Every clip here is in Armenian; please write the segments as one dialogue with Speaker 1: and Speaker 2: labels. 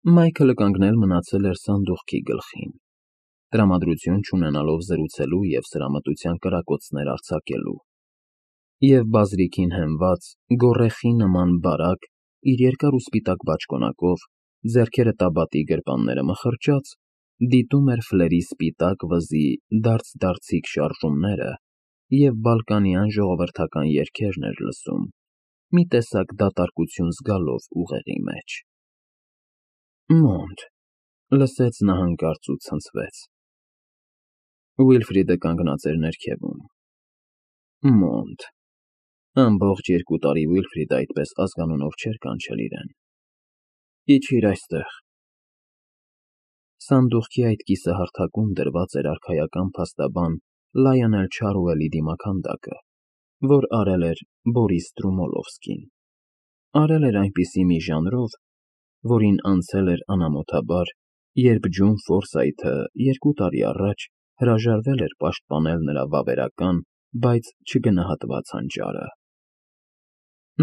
Speaker 1: Մայքլը կանգնել մնացել էր սանդուղքի գլխին, տրամադրություն չունենալով զրուցելու և սրամտության կրակոցներ արձակելու, և բազրիքին հենված, գոռեխի նման բարակ իր երկար ու սպիտակ բաճկոնակով, ձեռքերը տաբատի գրպանները մխրճած, դիտում էր Ֆլերի սպիտակ վզի դարձ֊դարձիկ շարժումները և բալկանյան ժողովրդական երգերն էր լսում, մի տեսակ դատարկություն զգալով ուղեղի մեջ։ «Մոնտ», լսեց նա հանկարծ ու ցնցվեց. Ուիլֆրիդը կանգնած էր ներքևում։ Մոնտ… Ամբողջ 2 տարի Ուիլֆրիդը այդպես ազգանունով չէր կանչել իրեն։ Իջիր այստեղ։ Սանդուղքի այդ կիսահարթակում դրված էր արքայական փաստաբան Լայոնել Չարուելի դիմաքանդակը, որ արել էր Բորիս Ստրումոլովսկին, արել էր այնպիսի մի ժանրով, որին անցել էր անամոթաբար, երբ Ջոն Ֆորսայթը 2 տարի առաջ հրաժարվել էր պաշտպանել նրա վավերական, բայց չգնահատված հանճարը։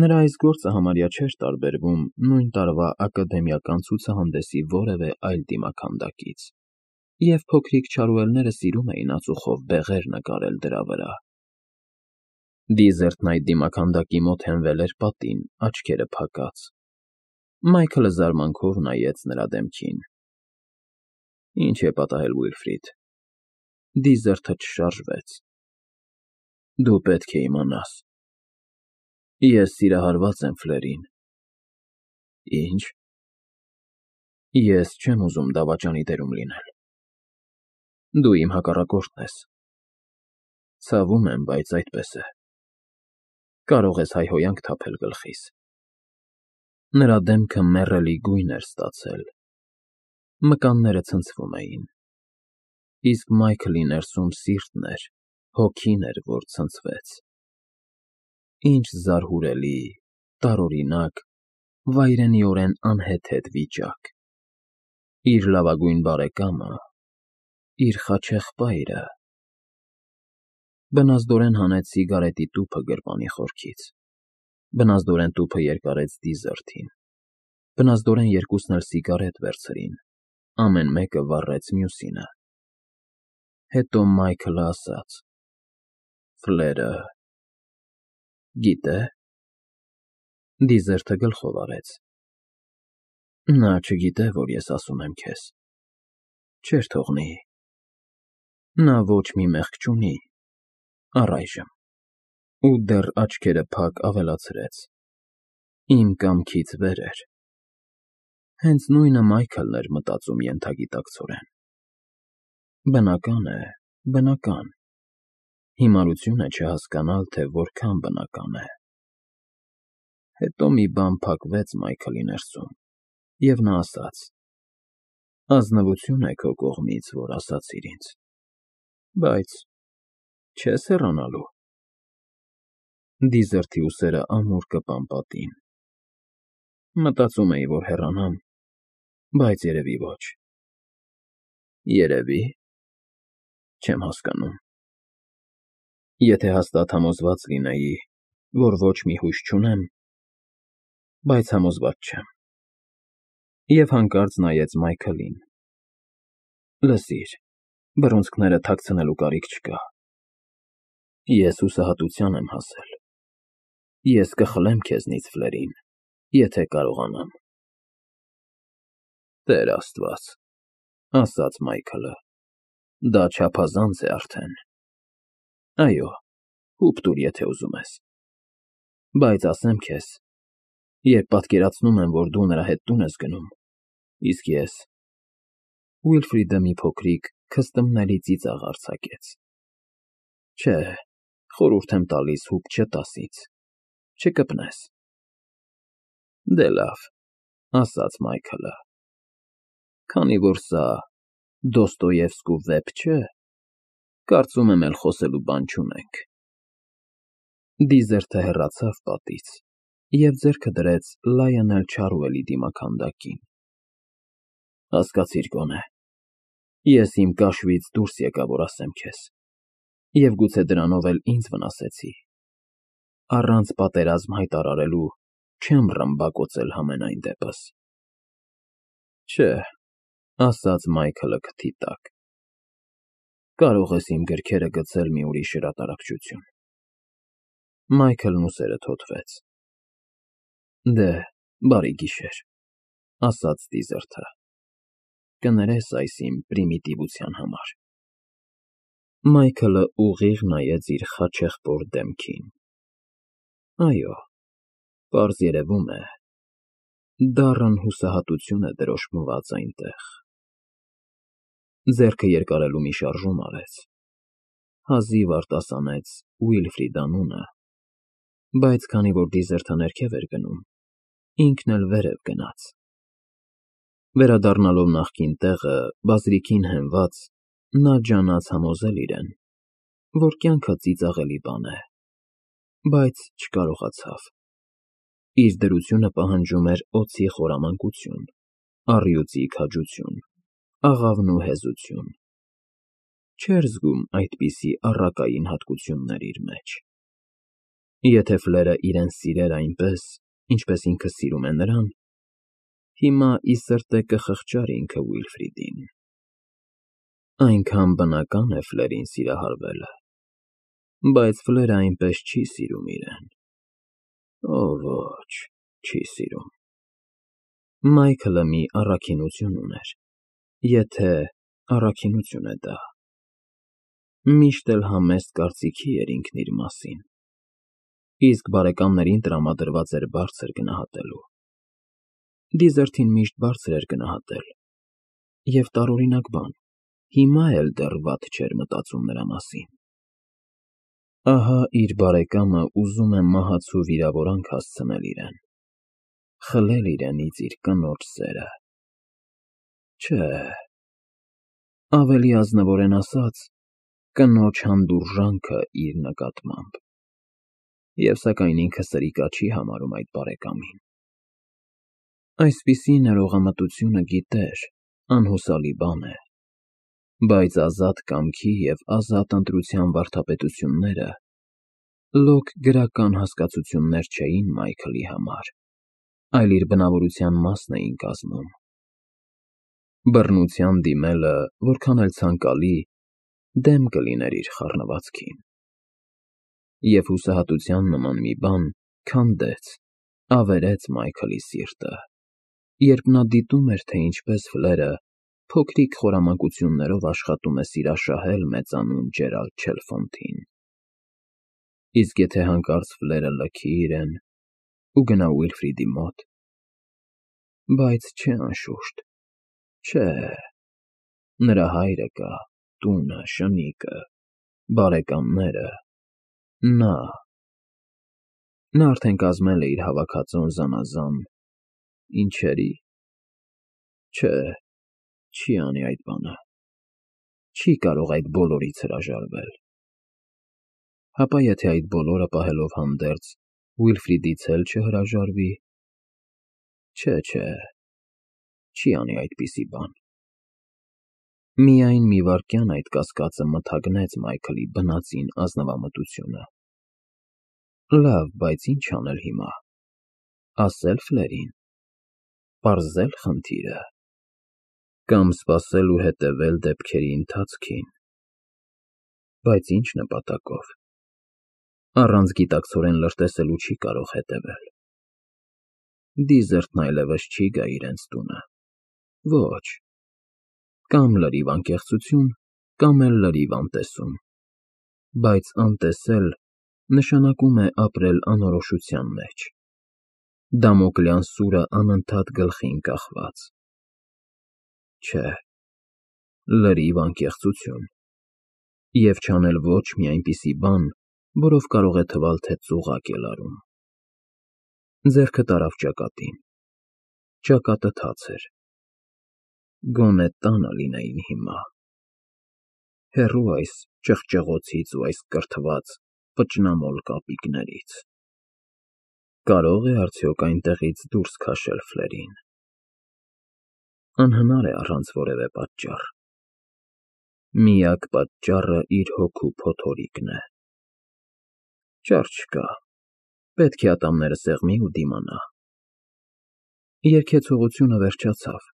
Speaker 1: Նրա այս գործը համարյա չէր տարբերվում նույն տարվա ակադեմիական ցուցահանդեսի որևէ այլ դիմաքանդակից, և փոքրիկ Չարուելները սիրում էին ածուխով բեղեր նկարել դրա վրա։ Դիզերթն այդ դիմաքանդակի մոտ հենվել էր պատին, աչքերը փակած։ Մայքլը զարմանքով նայեց նրա դեմքին։ Ինչ է պատահել, Ուիլֆրիդ։ Դիզերթը չշարժվեց։ Դու պետք է իմանաս։ Ես սիրահարված եմ Ֆլերին։ Ինչ։ Ես չեմ ուզում դավաճանի դերում լինել։ Դու իմ հակառակորդն ես։ Ցավում եմ, բայց այդպես է։ Կարող ես հայհոյանք թափել գլխիս։ Նրա դեմքը մեռելի գույն էր ստացել։ Մկանները ցնցվում էին։ Իսկ Մայքլի ներսում սիրտն էր, հոգին էր, որ ցնցվեց։ Ինչ զարհուրելի, տարօրինակ, վայրենիորեն անհեթեթ վիճակ։ Իր լավագույն բարեկամը, իր խաչեղբայրը… Բնազդորեն հանեց սիգարետի տուփը գրպանի խորքից։ Բնազդորեն տուփը երկարեց Դիզերթին։ Բնազդորեն երկուսն էլ սիգարետ վերցրին, ամեն մեկը վառեց մյուսինը։ Հետո Մայքլը ասաց. Ֆլերը… գիտե՞։ Դիզերթը գլխով արեց։ Նա չգիտե, որ ես ասում եմ քեզ։ Չէր թողնի։ Նա ոչ մի մեղք չունի, առայժմ։ Ու դեռ աչքերը փակ ավելացրեց. Իմ կամքից վեր էր։ Հենց նույնը Մայքլն էր մտածում ենթագիտակցորեն։ Բնական է, բնական։ Հիմարություն է չհասկանալ, թե որքան բնական է։ Հետո մի բան փակվեց Մայքլի ներսում, և նա ասաց. Ազնվություն է քո կողմից, որ ասացիր ինձ, բայց չես հեռանալու։ Դիզերթի ուսերը ամուր կպան պատին։ Մտածում էի, որ հեռանամ, բայց երևի ոչ։ Երևի… Չեմ հասկանում։ Եթե հաստատ համոզված լինեի, որ ոչ մի հույս չունեմ, բայց համոզված չեմ։ Եվ հանկարծ նայեց Մայքլին. Լսիր, բռունցքները թաքցնելու կարիք չկա։ Ես հուսահատության եմ հասել։ Ես կխլեմ քեզնից Ֆլերին, եթե կարողանամ։ Տեր Աստված, ասաց Մայքլը, դա չափազանց է արդեն։ Այո, հուպ տուր, եթե ուզում ես։ Բայց ասեմ քեզ, երբ պատկերացնում եմ, որ դու նրա հետ տուն ես գնում, իսկ ես… Ուիլֆրիդը մի փոքրիկ, քստմնելի ծիծաղ արձակեց։ Չէ, խորհուրդ եմ տալիս հուպ չտաս ինձ, չկպնես։ Դե լավ, ասաց Մայքլը, քանի որ սա Դոստոևսկու վեպ չէ, կարծում եմ էլ խոսելու բան չունենք։ Դիզերթը հեռացավ պատից և ձեռքը դրեց Լայոնել Չարուելի դիմաքանդակին։ Հասկացիր գոնե, ես իմ կաշվից դուրս եկա, որ ասեմ քեզ, և գուցե դրանով էլ ինձ վնասեցի։ Առանց պատերազմ հայտարարելու չեմ ռմբակոծել համենայն դեպս։ Չէ, ասաց Մայքլը քթի տակ։ Կարող ես իմ գրքերը գցել մի ուրիշ հրատարակչություն։ Մայքլն ուսերը թոթվեց։ Դե, բարի գիշեր, ասաց Դիզերթը։ Կներես այս իմ պրիմիտիվության համար։ Մայքլը ուղիղ նայեց իր խաչեղբոր դեմքին։ Այո, պարզ երևում է, դառն հուսահատություն է դրոշմված այնտեղ։ Ձեռքը երկարելու մի շարժում արեց, հազիվ արտասանեց Ուիլֆրիդ անունը, բայց քանի որ Դիզերթը ներքև էր գնում, ինքն էլ վերև գնաց։ Վերադառնալով նախկին տեղը, բազրիքին հենված, նա ջանաց համոզել իրեն, որ կյանքը ծիծաղելի բան է, բայց չկարողացավ։ Իր դրությունը պահանջում էր օձի խորամանկություն, առյուծի քաջություն, աղավնու հեզություն։ Չէր զգում այդպիսի առակային հատկություններ իր մեջ։ Եթե Ֆլերը իրեն սիրեր այնպես, ինչպես ինքը սիրում է նրան, հիմա ի սրտե կխղճար ինքը Ուիլֆրիդին։ Այնքան բնական է Ֆլերին սիրահարվելը, բայց Ֆլերը այնպես չի սիրում իրեն։ Օ, ոչ, չի սիրում։ Մայքլը մի առաքինություն ուներ, եթե առաքինություն է դա։ Միշտ էլ համեստ կարծիքի էր ինքն իր մասին, իսկ բարեկամներին տրամադրված էր բարձր գնահատելու։ Դիզերթին միշտ բարձր էր գնահատել, և տարօրինակ բան, հիմա էլ դեռ վատ չէր մտածում նրա մասին։ Ահա իր բարեկամը ուզում է մահացու վիրավորանք հասցնել իրեն, խլել իրենից իր կնոջ սերը։ Չէ, ավելի ազնվորեն ասած, կնոջ հանդուրժանքը իր նկատմամբ։ Եվ սակայն ինքը սրիկա չի համարում այդ բարեկամին։ Այսպիսի ներողամտությունը գիտեր, անհուսալի բան է, բայց ազատ կամքի և ազատ ընտրության վարդապետությունները լոկ գրական հասկացություններ չէին Մայքլի համար, այլ իր բնավորության մասն էին կազմում։ Բռնության դիմելը, որքան էլ ցանկալի, դեմ կլիներ իր խառնվածքին։ Եվ հուսահատության նման մի բան քանդեց, ավերեց Մայքլի սիրտը, երբ նա դիտում էր, թե ինչպես Ֆլերը փոքրիկ խորամանկություններով աշխատում է սիրաշահել մեծանուն Ջերալդ Չելֆոնթին։ Իսկ եթե հանկարծ Ֆլերը լքի իրեն ու գնա Ուիլֆրիդի մոտ։ Բայց չէ, անշուշտ, չէ, նրա հայրը կա, տունը, շնիկը, բարեկամները, նա արդեն կազմել է իր հավաքածոն զանազան ինչերի։ Չէ, չի անի այդ բանը, չի կարող այդ բոլորից հրաժարվել։ Հապա եթե այդ բոլորը պահելով հանդերձ, Ուիլֆրիդից էլ չհրաժարվի։ Չէ, չի անի այդպիսի բան։ Միայն մի վայրկյան այդ կասկածը մթագնեց Մայքլի բնածին ազնվամտությունը։ Լավ, բայց ինչ անել հիմա։ Ասե՞լ Ֆլերին։ Պարզե՞լ խնդիրը։ Կամ սպասել ու հետևել դեպքերի ընթացքին։ Բայց ինչ նպատակով։ Առանց գիտակցորեն լրտեսելու չի կարող հետևել։ Դիզերթն այլևս չի գա իրենց տունը։ Ոչ։ Կամ լրիվ անկեղծություն, կամ էլ լրիվ անտեսում։ Բայց անտեսել նշանակում է ապրել անորոշության մեջ։ Դամոկլյան սուրը անընդհատ գլխին կախված։ Չէ, լրիվ անկեղծություն։ Եվ չանել ոչ մի այնպիսի բան, որով կարող է թվալ, թե ծուղակ է լարում։ Ձեռքը տարավ ճակատին։ Ճակատը թաց էր։ Գոնե տանը լինեին հիմա։ Հեռու այս ճղճղոցից ու այս կրթված, վճռամոլ կապիկներից։ Կարո՞ղ է արդյոք այնտեղից դուրս քաշել Ֆլերին։ Անհնար է առանց որևէ պատճառ։ Միակ պատճառը իր հոգու փոթորիկն է։ Ճար չկա, պետք է ատամները սեղմի ու դիմանա։ Երգեցողությունը վերջացավ։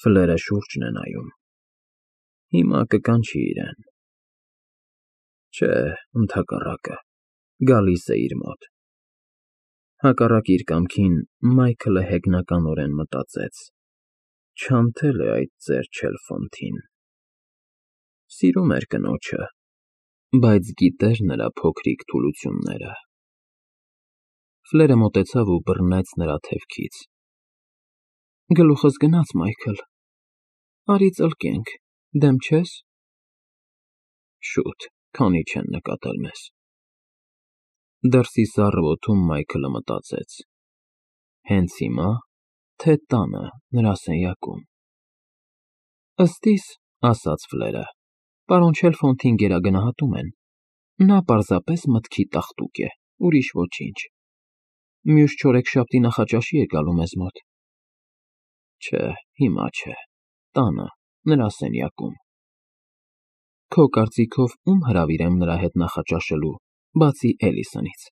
Speaker 1: Ֆլերը շուրջն է նայում։ Հիմա կկանչի իրեն։ Չէ, ընդհակառակը, գալիս է իր մոտ։ Հակառակ իր կամքին Մայքլը հեգնականորեն մտածեց. չանթել է այդ ծեր Չելֆոնթին։ Սիրում էր կնոջը, բայց գիտեր նրա փոքրիկ թուլությունները։ Ֆլերը մոտեցավ ու բռնեց նրա թևքից։ Գլուխս գնաց, Մայքլ։ Արի ծլկենք, դեմ չես։ Շուտ, քանի չեն նկատել մեզ։ Դրսի սառը օդում Մայքլը մտածեց. հենց հիմա, թե տանը, նրա սենյակում։ Ըստ իս, ասաց Ֆլերը, պարոն Չելֆոնթին գերագնահատում են։ Նա պարզապես մտքի տաղտուկ է, ուրիշ ոչինչ։ Մյուս չորեքշաբթի նախաճաշի է գալու մեզ մոտ։ Չէ, հիմա չէ, տանը, նրա սենյակում։ Քո կարծիքով ում հրավիրեմ նրա հետ նախաճաշելու, բացի Էլիսոնից։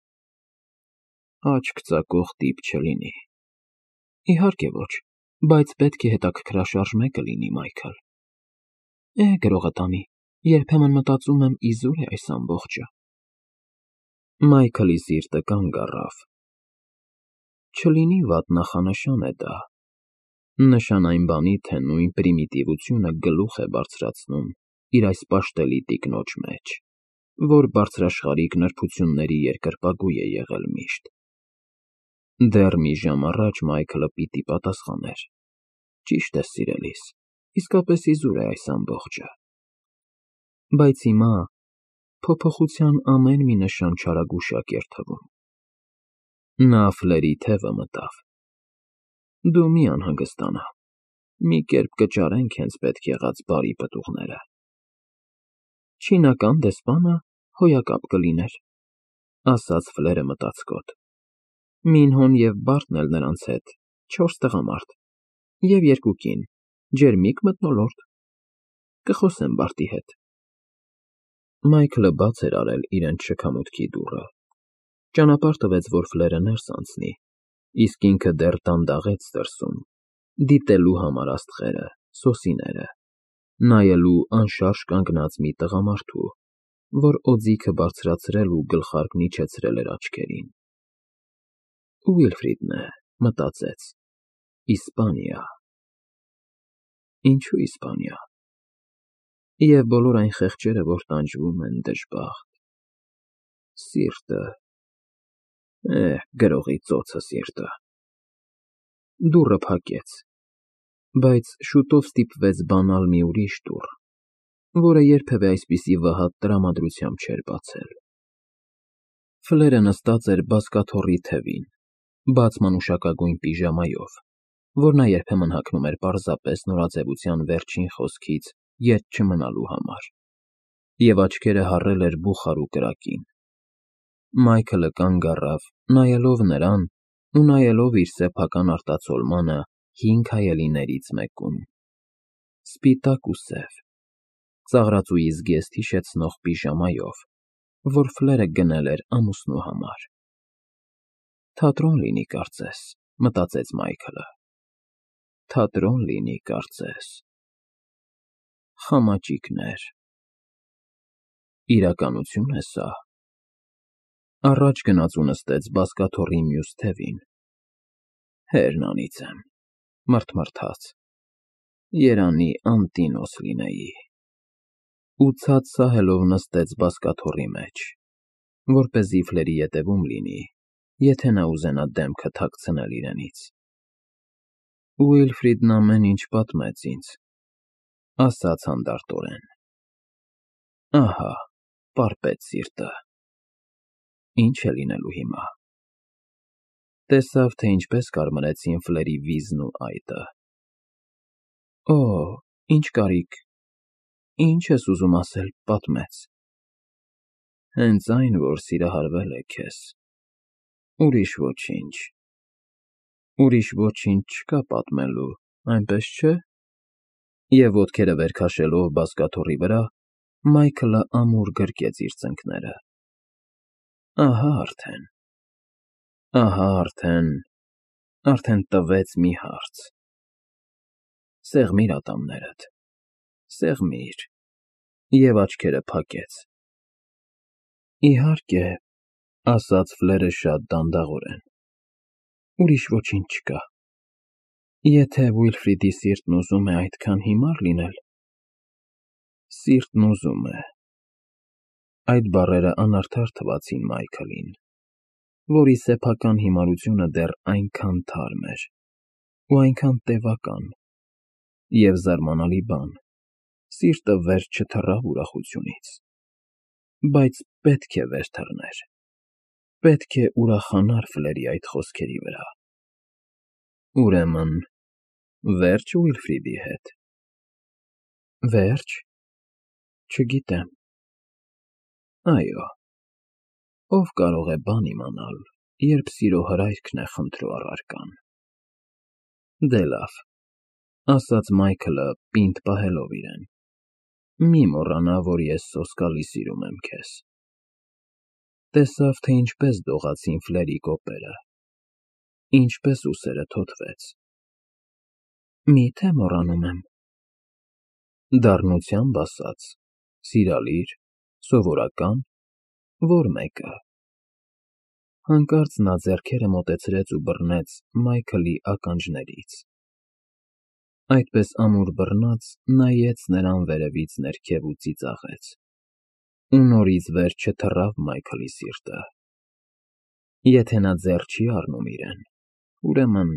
Speaker 1: Աչք ծակող տիպ չլինի։ Իհարկե ոչ, բայց պետք է հետաքրքրաշարժ մեկը լինի, Մայքլ։ Գրողը տանի, երբեմն մտածում եմ իզուր է այս ամբողջը։ Մայքլի սիրտը կանգ առավ։ Չլինի վատ նախանշան է դա։ Նշան այն բանի, թե նույն պրիմիտիվությունը գլուխ է բարձրացնում իր այս պաշտելի տիկնոջ մեջ, որ բարձրաշխարհիկ նրբությունների երկրպագու է եղել միշտ։ Դեռ մի ժամ առաջ Մայքլը պիտի պատասխաներ. ճիշտ է, սիրելիս, իսկապես իզուր է այս ամբողջը։ Բայց հիմա փոփոխության ամեն մի նշան չարագուշակ էր թվում։ Նա Ֆլերի թևը մտավ։ Դու մի անհանգստանա, մի կերպ կճարենք հենց պետք եղած բարի պտուղները։ Չինական դեսպանը հոյակապ կլիներ, ասաց Ֆլերը մտածկոտ։ Մինհոն և Բարտն էլ նրանց հետ, 4 տղամարդ, և 2 կին, ջերմիկ մթնոլորտ։ Կխոսեմ Բարտի հետ։ Մայքլը բաց էր արել իրենց շքամուտքի դուռը։ Ճանապարհ տվեց, որ Ֆլերը ներս անցնի, իսկ ինքը դեռ դանդաղեց դրսում, դիտելու համար աստղերը, սոսիները, նայելու անշարժ կանգնած մի տղամարդու, որ օձիքը բարձրացրել ու գլխարկն իջեցրել էր աչքերին։ Ուիլֆրիդն է, մտածեց, Իսպանիա։ Ինչու Իսպանիա։ Եվ բոլոր այն խեղճերը, որ տանջվում են դժբախտ։ Սիրտը, գրողի ծոցը սիրտը։ Դուռը փակեց, բայց շուտով ստիպվեց բանալ մի ուրիշ դուռ, որը երբևէ այսպիսի վհատ տրամադրությամբ չէր բացել։ Ֆլերը նստած էր բազկաթոռի թևին, բաց մանուշակագույն պիժամայով, որ նա երբեմն հագնում էր պարզապես նորաձևության վերջին խոսքից ետ չմնալու համար, և աչքերը հառել էր բուխարու կրակին։ Մայքլը կանգ առավ, նայելով նրան ու նայելով իր սեփական արտացոլմանը 5 հայելիներից մեկում։ Սպիտակ ու սև, ծաղրածուի զգեստ հիշեցնող պիժամայով, որ Ֆլերը գնել էր ամուսնու համար։ Թատրոն լինի, կարծես, մտածեց Մայքլը։ Թատրոն լինի, կարծես։ Խամաճիկներ։ Իրականություն է սա։ Առաջ գնաց ու նստեց բազկաթոռի մյուս թևին։ Հերն անիծեմ, մռթմռթաց, երանի անտինոս լինեի։ Ու ցած սահելով նստեց բազկաթոռի մեջ, որպեսզի Ֆլերի ետևում լինի, եթե նա ուզենա դեմքը թաքցնել իրենից։ Ուիլֆրիդն ամեն ինչ պատմեց ինձ, ասաց հանդարտորեն։ Ահա, պարպեց սիրտը։ Ինչ է լինելու հիմա։ Տեսավ, թե ինչպես կարմրեցին Ֆլերի վիզն ու այտը։ Օ, ինչ կարիք, ինչ ես ուզում ասել, պատմեց։ Հենց այն, որ սիրահարվել է քեզ։ Ուրիշ ոչինչ։ Ուրիշ ոչինչ չկա պատմելու, այնպես չէ։ Եվ ոտքերը վեր քաշելով բազկաթոռի վրա, Մայքլը ամուր գրկեց իր ծնկները։ Ահա արդեն տվեց մի հարց։ Սեղմիր ատամներդ, սեղմիր, և աչքերը փակեց։ Իհարկե, ասաց Ֆլերը շատ դանդաղորեն, ուրիշ ոչինչ չկա։ Եթե Վիլֆրիդի սիրտն ուզում է այդքան հիմար լինել, սիրտն ուզում է։ Այդ բառերը անարդար թվացին Մայքլին, որի սեփական հիմարությունը դեռ այնքան թարմ էր ու այնքան տևական, և զարմանալի բան, սիրտը վերջ չթռավ ուրախությունից, բայց պետք է վեր թռներ, պետք է ուրախանար Ֆլերի այդ խոսքերի վրա։ Ուրեմն, վե՞րջ Վիլֆրիդի հետ։ Վե՞րջ։ Չգիտեմ։ Այո, ով կարող է բան իմանալ, երբ սիրո հրայքն է խնդրու առարկան։ Դե լավ, ասաց Մայքլը, պինդ պահելով իրեն, մի մոռանա, որ ես սոսկալի սիրում եմ քեզ։ Տեսավ, թե ինչպես դողացին Ֆլերի կոպերը, ինչպես ուսերը թոթվեց։ Մի՞թե մոռանում եմ։ Դառնությամբ ասած, սիրալիր, սովորական, որ մեկը։ Հանկարծ նա ձեռքերը մոտեցրեց ու բռնեց Մայքլի ականջներից։ Այդպես ամուր բռնած, նայեց նրան վերևից ներքև ու ծիծաղեց։ Ու նորից վեր չթռավ Մայքլի սիրտը։ Եթե նա ձեռ չի առնում իրեն, ուրեմն…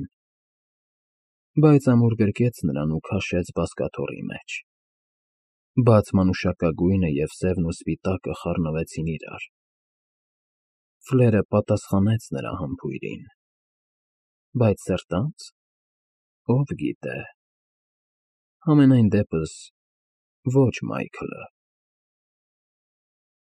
Speaker 1: Բայց ամուր գրկեց նրան ու քաշեց բազկաթոռի մեջ։ Բաց մանուշակագույնը և սևն ու սպիտակը խառնվեցին իրար։ Ֆլերը պատասխանեց նրա համբույրին, բայց սրտա՞նց, ով գիտե։ Համենայն դեպս, ոչ Մայքլը։